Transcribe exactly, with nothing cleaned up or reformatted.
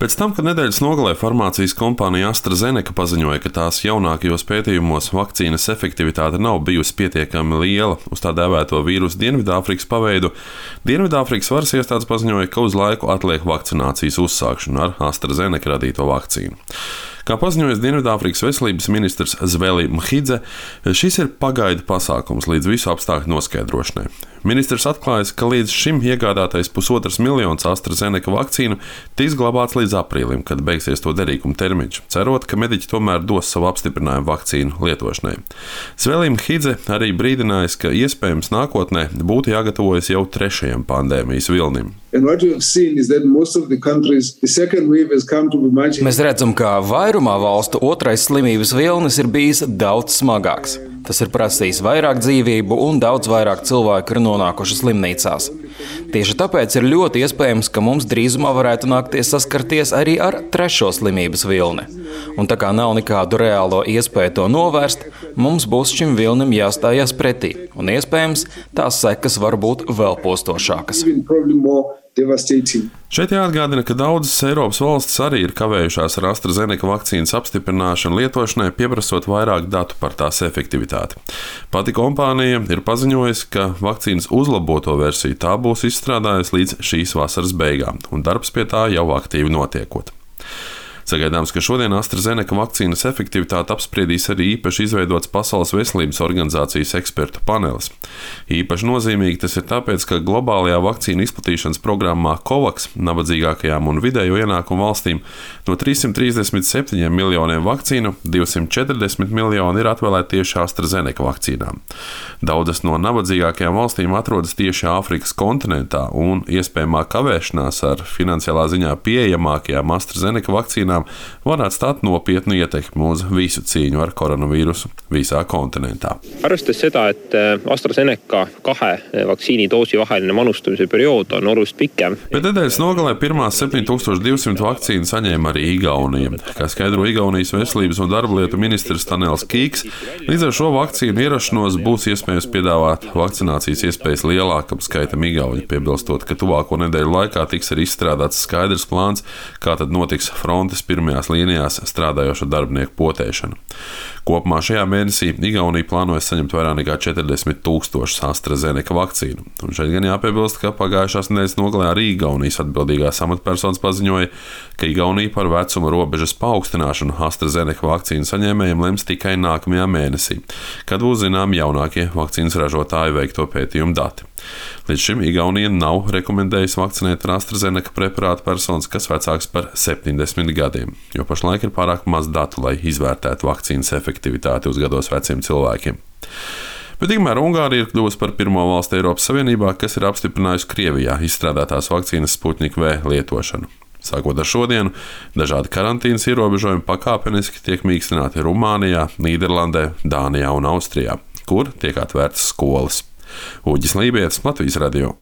Pēc tam, kad nedēļas nogalē farmācijas kompānija AstraZeneca paziņoja, ka tās jaunākajos pētījumos vakcīnas efektivitāte nav bijusi pietiekami liela uz tā dēvēto vīrusu Dienvidāfrikas paveidu, Dienvidāfrikas varas iestādes paziņoja, ka uz laiku atliek vakcinācijas uzsākšanu ar AstraZeneca radīto vakcīnu. Kā paziņoja Dienvidāfrikas veselības ministrs Zweli Mkhize, šis ir pagaidu pasākums līdz visu apstākļu noskaidrošanai. Ministrs atklājas, ka līdz šim iegādātais pusotras miljonas AstraZeneca vakcīnu tiks glabāts līdz aprīlim, kad beigsies to derīguma termiņš, cerot, ka mediķi tomēr dos savu apstiprinājumu vakcīnu lietošanai. Zweli Mkhize arī brīdinājis, ka iespējams nākotnē būtu jāgatavojas jau trešajam pandēmijas vilnim. Mēs redzam, ka vairumā valstu otrais slimības vilnis ir bijis daudz smagāks. Tas ir prasījis vairāk dzīvību un daudz vairāk cilvēku ir nonākuši slimnīcās. Tieši tāpēc ir ļoti iespējams, ka mums drīzumā varētu nākties saskarties arī ar trešo slimības vilni. Un tā kā nav nekādu reālo iespēju to novērst, mums būs šim vilnim jāstājās pretī, un iespējams tās sekas var būt vēl postošākas. Šeit jāatgādina, ka daudzas Eiropas valstis arī ir kavējušās ar AstraZeneca vakcīnas apstiprināšanu lietošanai, pieprasot vairāk datu par tās efektivitāti. Pati kompānija ir paziņojusi, ka vakcīnas uzlaboto versiju tā būs izstrādājusi līdz šīs vasaras beigām, un darbs pie tā jau aktīvi notiekot. Sagaidāms, ka šodien AstraZeneca vakcīnas efektivitāti apspriedīs arī īpaši izveidots Pasaules veselības organizācijas ekspertu panelis. Īpaši nozīmīgi tas ir tāpēc, ka globālajā vakcīnu izplatīšanas programmā COVAX nabadzīgākajām un vidējo ienākumu valstīm no trīssimt trīsdesmit septiņiem miljoniem vakcīnu divsimt četrdesmit miljoni ir atvēlēti tieši AstraZeneca vakcīnām. Daudzas no nabadzīgākajām valstīm atrodas tieši Āfrikas kontinentā, un iespējamā kavēšanās ar finansiālā ziņā pieejamākajām AstraZeneca vakcīnām var atstāt nopietnu ietekmi uz visu cīņu ar koronavīrusu visā kontinentā. Arvestades seda, et AstraZeneca kahe vaktsiinidoosi vaheline manustamise periood on oluliselt pikem. Bet nedēļas nogalē pirmās septiņi tūkstoši divsimt vakcīnu saņēma arī Igaunija. Kā skaidro Igaunijas veselības un darba lietu ministrs Tanels Kīks, līdz ar šo vakcīnu ierašanos būs iespējams piedāvāt vakcinācijas iespējas lielākam skaitam igauņu, piebilstot, ka tuvāko nedēļu laikā tiks arī izstrādāts skaidrs plāns, kā tad notiks frontes pirmajās līnijās strādājošo darbinieku potēšana. Kopumā šajā mēnesī Igaunija plānoja saņemt vairāk nekā četrdesmit tūkstošus AstraZeneca vakcīnu. Un šeit gan jāpiebilst, ka pagājušās nedēļas nogalē arī Igaunijas atbildīgās amatpersonas paziņoja, ka Igaunija par vecuma robežas paaugstināšanu AstraZeneca vakcīnu saņēmējiem lems tikai nākamajā mēnesī, kad būs zinām jaunākie vakcīnas ražotāju veikto pētījumu dati. Līdz šim Igaunija nav rekomendējusi vakcinēt ar AstraZeneca preparātu personas, kas vecāks par septiņdesmit gadiem, jo pašlaik ir pārāk maz datu, lai izvērtētu vakcīnas efektivitāti uz gados veciem cilvēkiem. Bet tikmēr Ungārija ir kļuvusi par pirmo valsti Eiropas Savienībā, kas ir apstiprinājusi Krievijā izstrādātās vakcīnas Sputnik V lietošanu. Sākot ar šodienu, dažādi karantīnas ierobežojumi pakāpeniski tiek mīkstināti Rumānijā, Nīderlandē, Dānijā un Austrijā, kur tiek atvērtas skolas. Uģis Lībietis, Latvijas radio.